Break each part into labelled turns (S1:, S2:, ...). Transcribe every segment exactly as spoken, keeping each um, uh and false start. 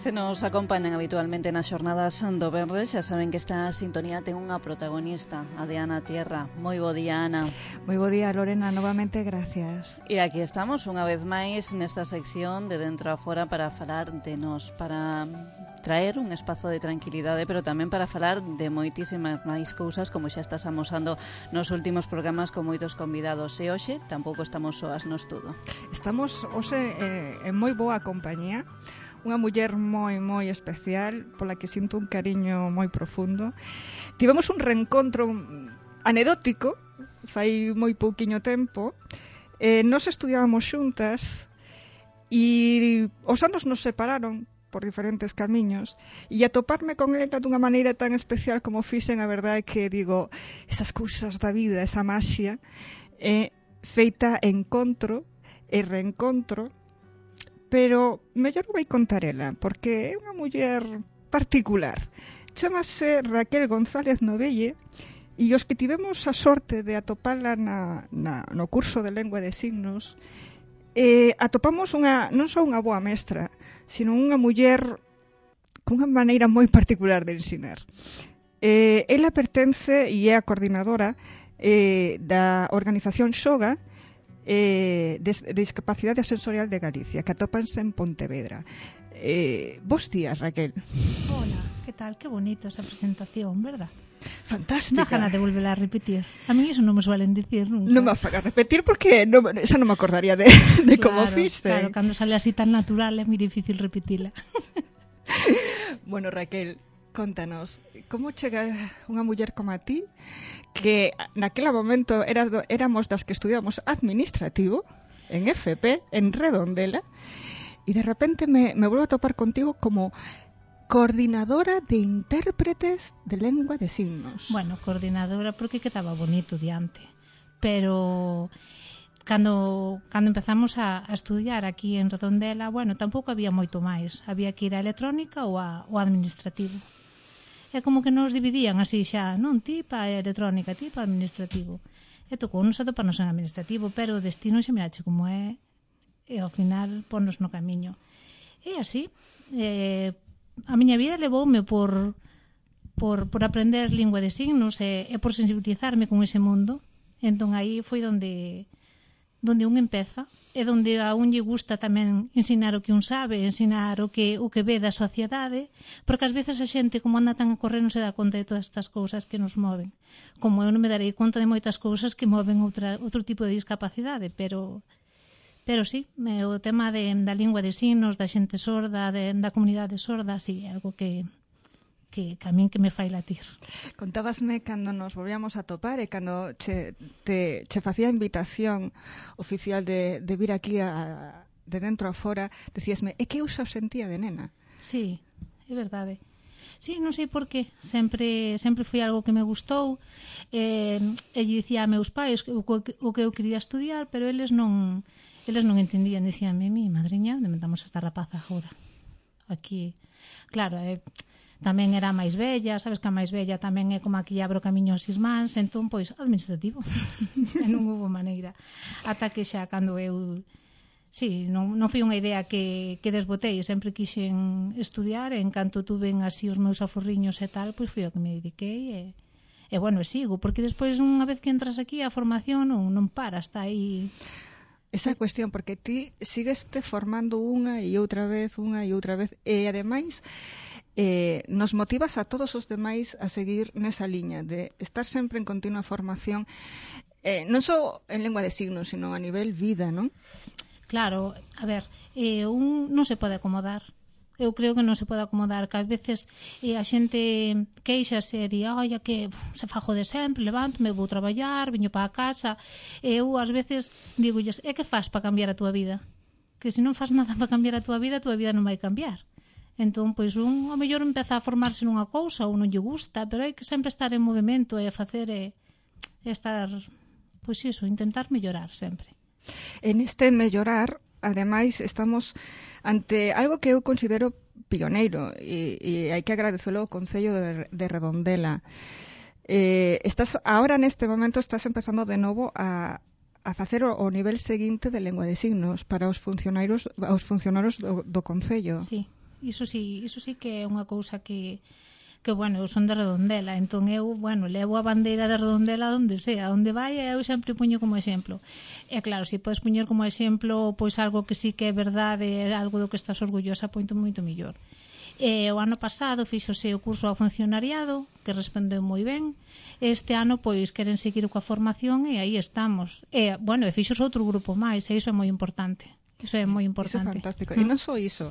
S1: Se nos acompañan habitualmente nas xornadas do Benres, xa saben que esta sintonía ten unha protagonista, a de Ana Tierra. Moi bo día, Ana.
S2: Moi bo día, Lorena, novamente gracias.
S1: E aquí estamos unha vez máis nesta sección de Dentro a Fora para falar de nos, para traer un espazo de tranquilidade, pero tamén para falar de moitísimas máis cousas, como xa estás amosando nos últimos programas con moitos convidados. E hoxe tampouco estamos soas no estudo.
S2: Estamos hoxe eh, en moi boa compañía. Unha muller moi, moi especial, pola que sinto un cariño moi profundo. Tivemos un reencontro anedótico, fai moi pouquiño tempo. Eh, nos estudiábamos xuntas e os anos nos separaron por diferentes camiños, e atoparme con ela dunha maneira tan especial como fixen, a verdade é que digo, esas cousas da vida, esa maxia, é feita encontro e reencontro. Pero mellor vai contar ela, porque é unha muller particular. Chámase Raquel González Novelle, e os que tivemos a sorte de atopala na, na, no curso de lengua de signos, eh, atopamos unha, non só unha boa mestra, sino unha muller cunha maneira moi particular de ensinar. Eh, ela pertence e é a coordinadora eh, da organización Xoga, Eh, de, de Discapacidade Sensorial de Galicia, que atópanse en Pontevedra. Eh, bos días, Raquel.
S3: Hola, que tal? Que bonito esa presentación, verdad?
S2: Fantástica.
S3: Dá gana de volver a repetir. A mí eso non me suelen dicir nunca.
S2: Non me faga repetir porque no, esa non me acordaría de, de
S3: claro,
S2: como fiste.
S3: Claro, cando sale así tan natural é moi difícil repetila.
S2: Bueno, Raquel, contanos, como chega unha muller como a ti, que naquele momento era, éramos das que estudiamos administrativo en F P, en Redondela, e de repente me, me vuelvo a topar contigo como coordinadora de intérpretes de lengua de signos.
S3: Bueno, coordinadora porque quedaba bonito diante, pero cando, cando empezamos a, a estudiar aquí en Redondela, bueno, tampouco había moito máis, había que ir a electrónica ou a, ou a administrativo. É como que nos dividían así xa, non? Ti pa electrónica, ti pa administrativo. E tocou nos atoparnos en administrativo, pero o destino xa mirache como é, e ao final ponnos no camiño. E así, eh, a miña vida levoume por, por, por aprender lingua de signos e, e por sensibilizarme con ese mundo. Entón aí foi onde... donde un empeza e donde a un lle gusta tamén ensinar o que un sabe, ensinar o que o que ve da sociedade, porque ás veces a xente como anda tan a correr non se dá conta de todas estas cousas que nos moven. Como eu non me darei conta de moitas cousas que moven outra, outro tipo de discapacidade, pero pero sí, o tema de, da lingua de signos, da xente sorda, de, da comunidade sorda, sí, é algo que que, que a min que me fai latir.
S2: Contábasme cando nos volvíamos a topar e cando che, te, che facía a invitación oficial de, de vir aquí a, de dentro a fora, decíasme, é que eu xa o sentía de nena.
S3: Sí, é verdade. Sí, non sei por qué, sempre, sempre foi algo que me gustou, eh, e lle dicía a meus pais o, o que eu quería estudiar, pero eles non eles non entendían, dicíanme, mi madriña, onde metamos esta rapaza agora? Aquí, claro, é... Eh, tamén era máis bella, sabes que a máis bella tamén é como a que abro camiño aos irmáns, entón, pois, administrativo. E non houve maneira. Ata que xa, cando eu... Sí, non, non foi unha idea que, que desbotei, sempre quixen estudiar, e en canto tuven así os meus aforriños e tal, pois foi o que me dediquei, e, e bueno, e sigo, porque despois, unha vez que entras aquí, a formación non, non para, está aí...
S2: Esa cuestión, porque ti sigues te formando unha e outra vez, unha e outra vez, e ademais... Eh, nos motivas a todos os demais a seguir nesa liña de estar sempre en continua formación, eh, non só en lengua de signos, sino a nivel vida, non?
S3: Claro, a ver, eh, un non se pode acomodar. Eu creo que non se pode acomodar, que ás veces eh, a xente queixase e di, oi, que se fajo de sempre, levanto, me vou traballar, viño para a casa, e eu ás veces digo, e que faz para cambiar a túa vida? Que se non faz nada para cambiar a túa vida, a túa vida non vai cambiar. Entón, pois, un, ao mellor empeza a formarse nunha cousa ou non lle gusta, pero hai que sempre estar en movimento e a facer e, e estar, pois iso, intentar mellorar sempre.
S2: En este mellorar, ademais, estamos ante algo que eu considero pioneiro e, e hai que agradecelo ao Concello de, de Redondela. Eh, estás, ahora, neste momento, estás empezando de novo a, a facer o, o nivel seguinte de lengua de signos para os funcionarios, os funcionarios do, do Concello.
S3: Sí. Iso sí, iso sí que é unha cousa que que, bueno, eu son de Redondela, entón eu, bueno, levo a bandeira de Redondela onde sea, onde vai, eu sempre puño como exemplo. E claro, se podes puñer como exemplo pois algo que sí que é verdade, algo do que estás orgullosa, poito moito mellor. E o ano pasado fíxose o curso ao funcionariado, que respondeu moi ben. Este ano, pois, queren seguir coa formación e aí estamos. E, bueno, e fixos outro grupo máis, e iso é moi importante. Iso é moi importante.
S2: Iso é fantástico. E non só iso.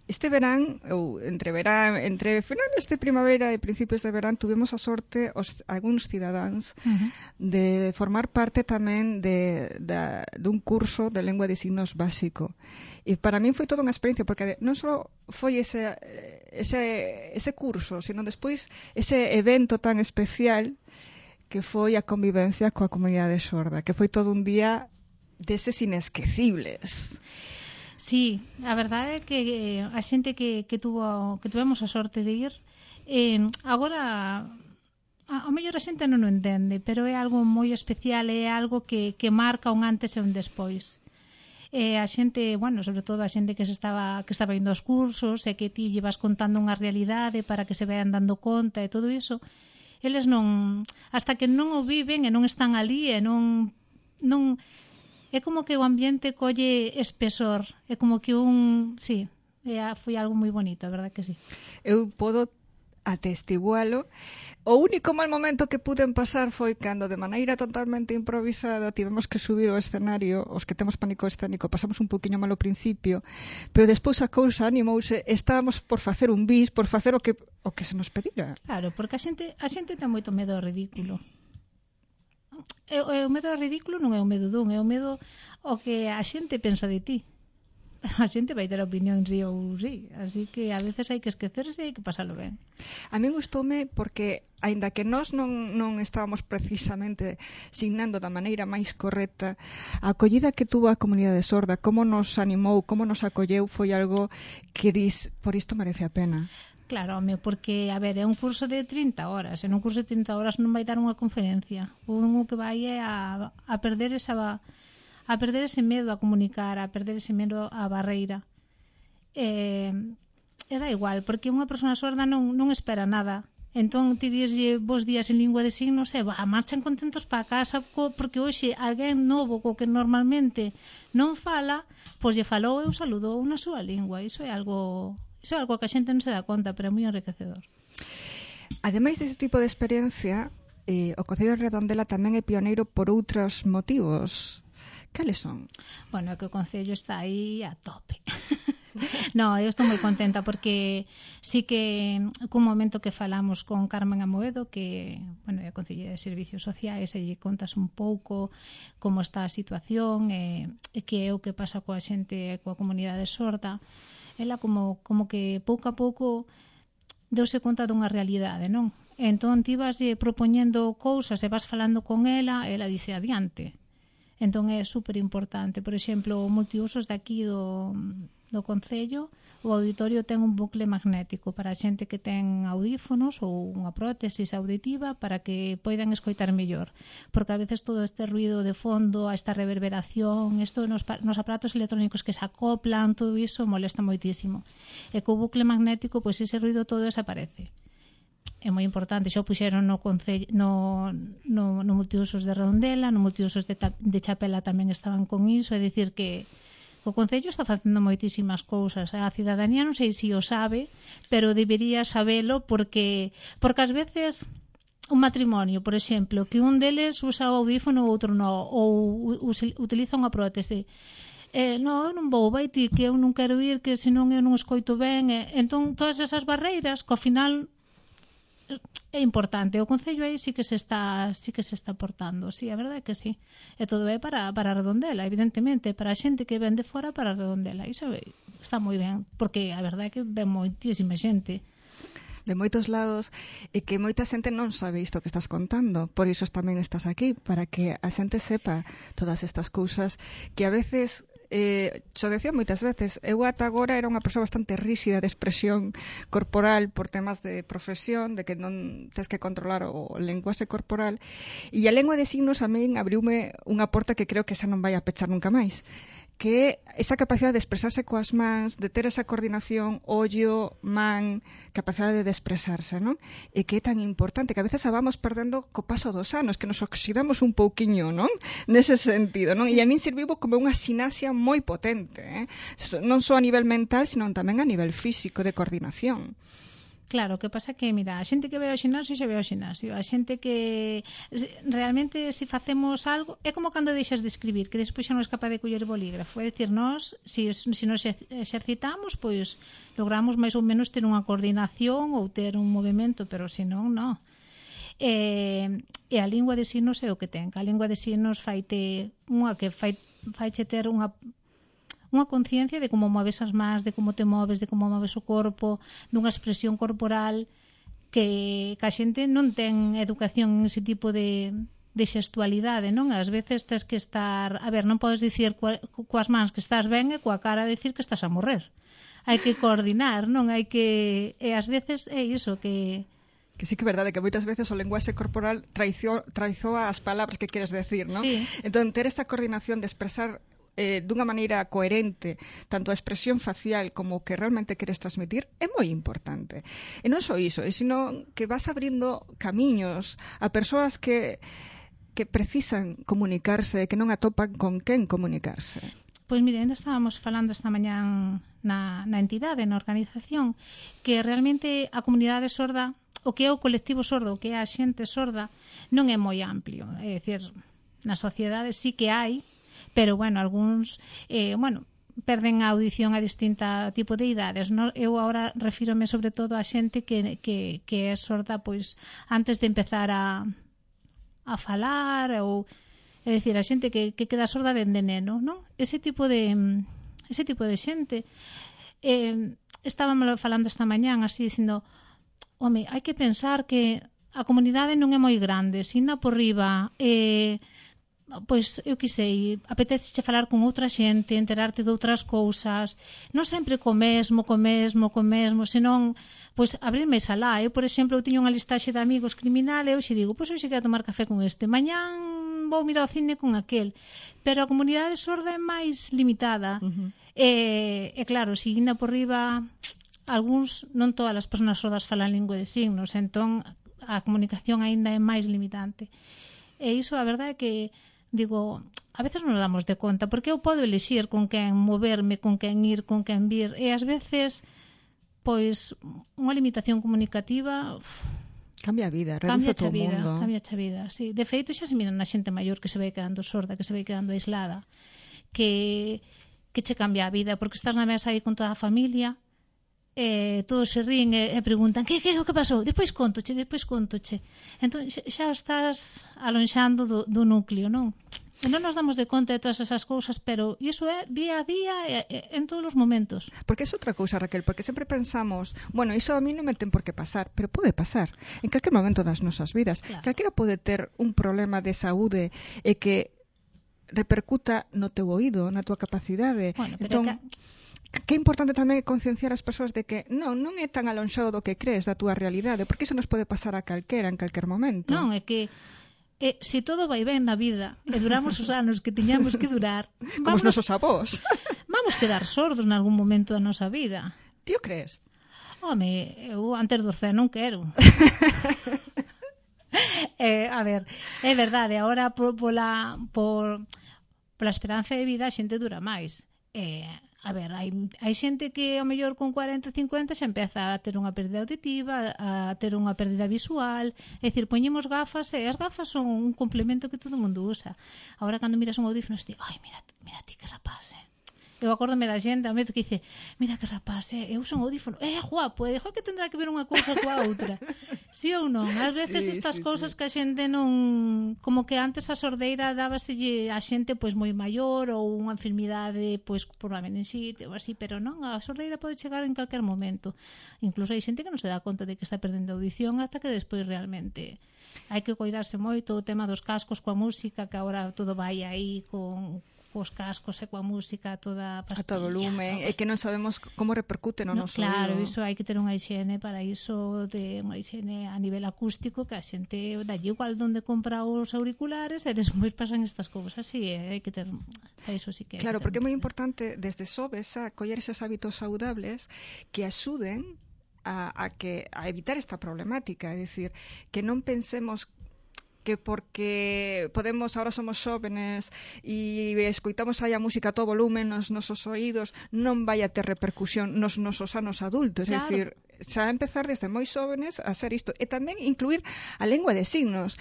S2: Este verán, ou entre verán, entre finales de primavera e principios de verán, tuvemos a sorte os, algúns cidadáns uh-huh. de formar parte tamén de, de, dun curso de lengua de signos básico. E para min foi toda unha experiencia, porque non só foi ese, ese, ese curso, sino despois ese evento tan especial que foi a convivencia coa comunidade sorda, que foi todo un día deses inesquecibles.
S3: Sí, a verdade é que a xente que, que, tuvo, que tuvemos a sorte de ir eh, agora a, a mellor a xente non o entende, pero é algo moi especial, é algo que, que marca un antes e un despois. E a xente, bueno, sobre todo a xente que se estaba que estaba indo aos cursos e que ti llevas contando unha realidade para que se vean dando conta e todo iso, eles non, hasta que non o viven e non están ali e non non é como que o ambiente colle espesor, é como que un, sí, é, foi algo moi bonito, a verdade que sí.
S2: Eu podo atestigualo. O único mal momento que puden pasar foi cando de maneira totalmente improvisada tivemos que subir ao escenario, os que temos pánico escénico pasamos un poquinho mal ao principio, pero despois a cousa animouse, estábamos por facer un bis, por facer o que o que se nos pedira.
S3: Claro, porque a xente a xente ten moito medo ao ridículo. E, e o medo ao ridículo non é o medo dun, é o medo ao que a xente pensa de ti. A xente vai ter opinión sí ou sí, así que a veces hai que esquecerse e hai que pasalo ben.
S2: A mí gustoume porque, aínda que nós non, non estábamos precisamente signando da maneira máis correcta, a acollida que tuvo a comunidade sorda, como nos animou, como nos acolleu, foi algo que dis, por isto merece a pena.
S3: Claro, home, porque, a ver, é un curso de trinta horas, en un curso de trinta horas non vai dar unha conferencia. O que vai é a, a perder esa a perder ese medo a comunicar, a perder ese medo a barreira. E, e dá igual, porque unha persona sorda non, non espera nada. Entón, ti dixlle vos días en lingua de signos e va, marchan contentos para casa porque hoxe alguén novo co que normalmente non fala, pois lle falou e o saludou na súa lingua. Iso é algo... Iso é algo que a xente non se dá conta, pero é moi enriquecedor.
S2: Ademais deste tipo de experiencia, eh, o Concello de Redondela tamén é pioneiro por outros motivos. Cales son?
S3: Bueno, é que o Concello está aí a tope. No, eu estou moi contenta porque sí que cun momento que falamos con Carmen Amoedo, que, bueno, é a Concelleira de Servicios Sociais, e lle contas un pouco como está a situación e, e que é o que pasa coa xente, coa comunidade sorda. Ela como, como que pouco a pouco deuse conta dunha realidade, non? Entón ti vas propoñendo cousas e vas falando con ela, ela dice adiante. Entón é super importante. Por exemplo, o multiusos de aquí do, do Concello, o auditorio ten un bucle magnético para a xente que ten audífonos ou unha prótesis auditiva para que poidan escoitar mellor. Porque a veces todo este ruido de fondo, esta reverberación, isto nos, nos aparatos electrónicos que se acoplan, todo iso molesta moitísimo. E co bucle magnético, pois ese ruido todo desaparece. É moi importante, xa o puxeron no, concello, no, no, no multiusos de Redondela, no multiusos de, de Chapela tamén estaban con iso, é dicir que o Concello está facendo moitísimas cousas. A cidadanía non sei se o sabe, pero debería sabelo porque porque ás veces un matrimonio, por exemplo, que un deles usa o audífono ou outro non, ou utiliza unha prótese. Eh, non, eu non vou, vai ti, que eu non quero ir, que senón eu non escoito ben. Eh, entón, todas esas barreiras, que ao final é importante. O Concello aí sí que se está sí que se está portando, sí, a verdade é que sí. E todo é para para Redondela, evidentemente, para a xente que ven de fora para Redondela. Iso está moi ben, porque a verdade é que ven moitísima xente
S2: de moitos lados e que moita xente non sabe isto que estás contando. Por iso tamén estás aquí, para que a xente sepa todas estas cousas que a veces Eh, xo decía moitas veces, eu ata agora era unha persoa bastante ríxida de expresión corporal por temas de profesión, de que non tens que controlar o lenguaxe corporal, e a lengua de signos a min abriume unha porta que creo que xa non vai a pechar nunca máis, que é esa capacidade de expresarse coas mans, de ter esa coordinación ollo, man, capacidade de expresarse, non? E que é tan importante que a veces a vamos perdendo co paso dos anos, que nos oxidamos un pouquiño, non? Nese sentido, non? Sí. E a min serviu como unha sinasia moi potente, eh? Non só a nivel mental, sino tamén a nivel físico, de coordinación.
S3: Claro, o que pasa que, mira, a xente que ve ao xinasio xa ve ao xinasio. A xente que realmente, se facemos algo, é como cando deixas de escribir, que despois xa non és capaz de coller bolígrafo. É dicir, nós, se, se nos exercitamos, pois logramos máis ou menos ter unha coordinación ou ter un movimento, pero se non, non. E, e a lingua de signos é o que ten. A lingua de signos faite unha que fai, faiche ter unha unha conciencia de como moves as mans, de como te moves, de como moves o corpo, dunha expresión corporal que, que a xente non ten educación en ese tipo de, de xestualidade, non? Ás veces tens que estar... A ver, non podes dicir coa, coas mans que estás ben e coa cara dicir que estás a morrer. Hai que coordinar, non? Hai que... E ás veces é iso que...
S2: Que sí que é verdade que moitas veces o lenguaxe corporal traizo, traizoa as palabras que queres decir, non?
S3: Sí.
S2: Entón, ter esa coordinación de expresar eh, dunha maneira coherente tanto a expresión facial como o que realmente queres transmitir é moi importante. E non só iso, sino que vas abrindo camiños a persoas que, que precisan comunicarse, que non atopan con quen comunicarse.
S3: Pois mire, ainda estábamos falando esta mañán na, na entidade, na organización, que realmente a comunidade sorda, o que é o colectivo sordo, o que é a xente sorda, non é moi amplio. É dicir, na sociedade sí que hai, pero, bueno, algúns, eh, bueno, perden a audición a distinta tipo de idades. No? Eu agora refírome sobre todo a xente que, que, que é sorda, pois, antes de empezar a, a falar, ou, é dicir, a xente que, que queda sorda dende neno, non? Ese tipo de, ese tipo de xente. Eh, estábamos falando esta mañán, así, dicindo, home, hai que pensar que a comunidade non é moi grande, sina por riba, eh, pois, eu que sei, apetece falar con outra xente, enterarte de outras cousas, non sempre co mesmo, co mesmo, co mesmo, senón, pois, abrirme esa lá. Eu, por exemplo, eu tiño unha listaxe de amigos criminal e eu xe digo, pois, eu xe quero tomar café con este, mañán vou mirar ao cine con aquel, pero a comunidade sorda é máis limitada. Uh-huh. E, e claro, seguindo por riba, algúns, non todas as persoas sordas falan lingua de signos, entón a comunicación aínda é máis limitante. E iso, a verdade é que digo, a veces non nos damos de conta, porque eu podo elixir con quen moverme, con quen ir, con quen vir, e ás veces, pois, unha limitación comunicativa uf,
S2: cambia a vida, reduce todo o mundo.
S3: Cambia a vida, sí. De feito, xa se miran na xente maior que se vai quedando sorda, que se vai quedando aislada, que, que che cambia a vida, porque estás na mesa aí con toda a familia, e todos se ríen e, e preguntan que, que, que pasou? Depois contoche, depois contoche. Entón, xa estás alonxando do, do núcleo, non? E non nos damos de conta de todas esas cousas, pero iso é día a día e, e, en todos os momentos.
S2: Porque é outra cousa, Raquel, porque sempre pensamos, bueno, iso a mí non me ten por que pasar, pero pode pasar en calquer momento das nosas vidas. Claro. Calquera pode ter un problema de saúde e que repercuta no teu oído, na tua capacidade.
S3: Bueno, pero
S2: entón,
S3: que...
S2: que é importante tamén concienciar as persoas de que non, non é tan alonxado do que crees da túa realidade, porque iso nos pode pasar a calquera en calquer momento.
S3: Non, é que E se todo vai ben na vida e duramos os anos que tiñamos que durar,
S2: como os nosos avós,
S3: vamos quedar sordos nalgún momento da nosa vida.
S2: Ti o crees?
S3: Home, eu antes dos cen non quero. eh, a ver, é verdade, agora por, pola, por, pola esperanza de vida a xente dura máis. Eh, a ver, hai, hai xente que ao mellor con cuarenta, cincuenta xa empeza a ter unha pérdida auditiva, a ter unha pérdida visual, é dicir, poñemos gafas e as gafas son un complemento que todo mundo usa. Agora cando miras un audífono, ti, ai, mira, mira ti que rapaz, eh. Eu acórdome da xente, a medo que dice, mira que rapaz, eh, eu uso un audífono, é eh, guapo, e que tendrá que ver unha cousa coa outra. Si ou non? Ás veces sí, estas sí, cousas sí. Que a xente non... Como que antes a sordeira dábaselle a xente pois moi maior ou unha enfermidade pois por unha meningite ou así, pero non, a sordeira pode chegar en calquer momento. Incluso hai xente que non se dá conta de que está perdendo audición ata que despois realmente hai que cuidarse moito o tema dos cascos coa música, que agora todo vai aí con cos cascos e coa música toda
S2: a
S3: pastilla.
S2: todo volumen, e que non sabemos como repercute no,
S3: no
S2: noso
S3: claro,
S2: oído.
S3: iso hai que ter unha higiene para iso, de unha higiene a nivel acústico, que a xente dalle igual donde compra os auriculares e despois pasan estas cousas, así hai que ter, para iso sí que
S2: claro, porque é moi
S3: importante
S2: importante desde sobes a coller esos hábitos saudables que axuden a, a que a evitar esta problemática, é dicir, que non pensemos que porque podemos, ahora somos xóvenes e escoitamos aí a música a todo volumen nos nosos oídos, non vai a ter repercusión nos nosos anos adultos, claro. É dicir, xa empezar desde moi xóvenes a ser isto, e tamén incluir a lengua de signos,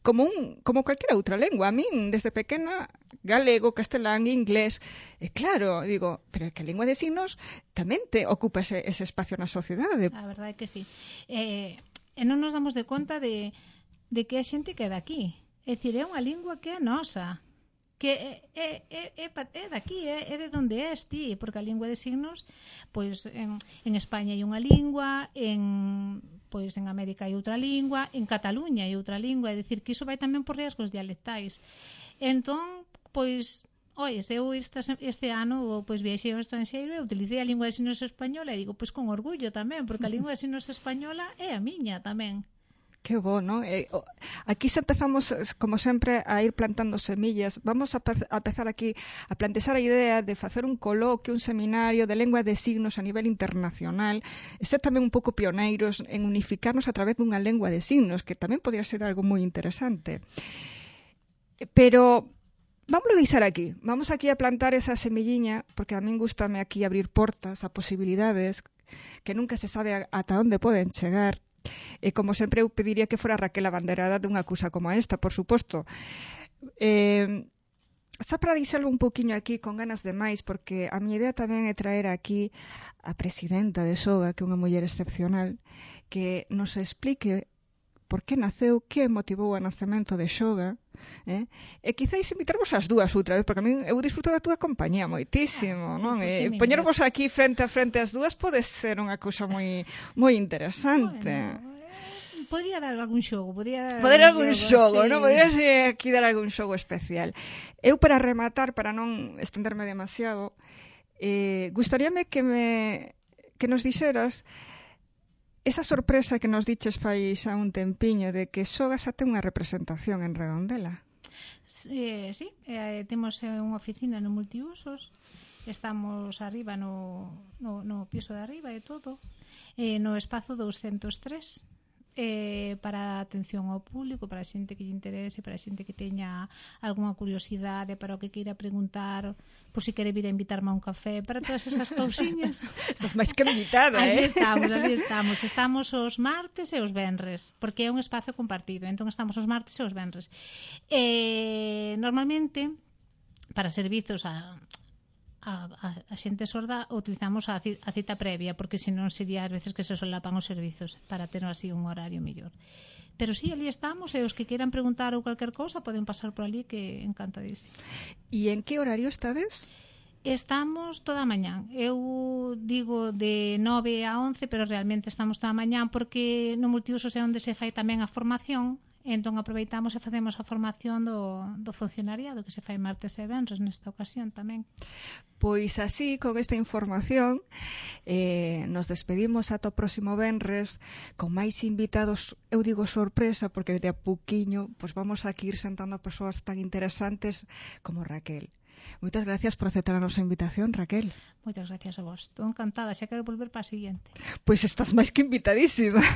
S2: como un como calquera outra lengua. A min, desde pequena, galego, castelán, inglés, e claro, digo, pero que a lengua de signos tamén te ocupa ese, ese espacio na sociedade.
S3: A verdade é que sí. Eh, e non nos damos de conta de de que a xente que é daqui. É dicir, é unha lingua que é nosa, que é, é, é, é, é daqui, é, é de onde és ti, porque a lingua de signos, pois en, en España hai unha lingua, en pois en América hai outra lingua, en Cataluña hai outra lingua, é dicir, que iso vai tamén por riesgos dialectais. Entón, pois, oi, eu este, este ano pois viaxei ao estranxeiro e utilicei a lingua de signos española e digo, pois con orgullo tamén, porque a lingua de signos española é a miña tamén.
S2: Que bo, non? Eh, aquí se empezamos, como sempre, a ir plantando semillas. Vamos a, a empezar aquí a plantexar a idea de facer un coloquio, un seminario de lengua de signos a nivel internacional, e ser tamén un pouco pioneiros en unificarnos a través dunha lengua de signos, que tamén podría ser algo moi interesante. Pero vámoslo deixar aquí. Vamos aquí a plantar esa semilliña, porque a min gustame aquí abrir portas a posibilidades que nunca se sabe ata onde poden chegar. E como sempre eu pediría que fora Raquel a banderada dunha cousa como esta, por suposto. Eh, xa para dixelo un poquinho aquí con ganas de máis, porque a miña idea tamén é traer aquí a presidenta de Soga, que é unha muller excepcional, que nos explique por que naceu, que motivou o nacemento de Xoga, eh? E quizáis invitarvos as dúas outra vez, porque a min eu disfruto da túa compañía moitísimo, non? E poñervos aquí frente a frente as dúas pode ser unha cousa moi moi interesante.
S3: Bueno, podía dar algún xogo, podía dar
S2: Poder algún xogo,
S3: sí.
S2: non? Podía aquí dar algún xogo especial. Eu, para rematar, para non estenderme demasiado, eh, gustaríame que me que nos dixeras esa sorpresa que nos diches fai xa un tempiño de que Soga xa ten unha representación en Redondela.
S3: Eh, sí, eh, temos unha oficina no multiusos, estamos arriba no, no, no piso de arriba e todo, eh, no espazo doscientos tres, eh, para atención ao público, para a xente que lle interese, para a xente que teña algunha curiosidade, para o que queira preguntar, por si quere vir a invitarme a un café, para todas esas cousiñas.
S2: Estás máis que invitada, eh?
S3: Ali estamos, ali estamos. Estamos os martes e os venres, porque é un espazo compartido, entón estamos os martes e os venres. Eh, normalmente, para servizos a A, a, a xente sorda utilizamos a, a cita previa, porque senón sería ás veces que se solapan os servizos para ter así un horario mellor. Pero sí, ali estamos, e os que queiran preguntar ou calquer cousa poden pasar por ali, que encantadísimo.
S2: E en que horario estades?
S3: Estamos toda a mañán. Eu digo de nove a once, pero realmente estamos toda a mañán, porque no multiusos é onde se fai tamén a formación. Entón aproveitamos e facemos a formación do, do funcionariado, que se fai martes e venres nesta ocasión tamén.
S2: Pois así, con esta información, eh, nos despedimos ata o próximo venres con máis invitados, eu digo sorpresa, porque de a pouquiño pues vamos a ir sentando a persoas tan interesantes como Raquel. Moitas gracias por aceptar a nosa invitación, Raquel.
S3: Moitas gracias a vos. Estou encantada, xa quero volver para a siguiente.
S2: Pois estás máis que invitadísima.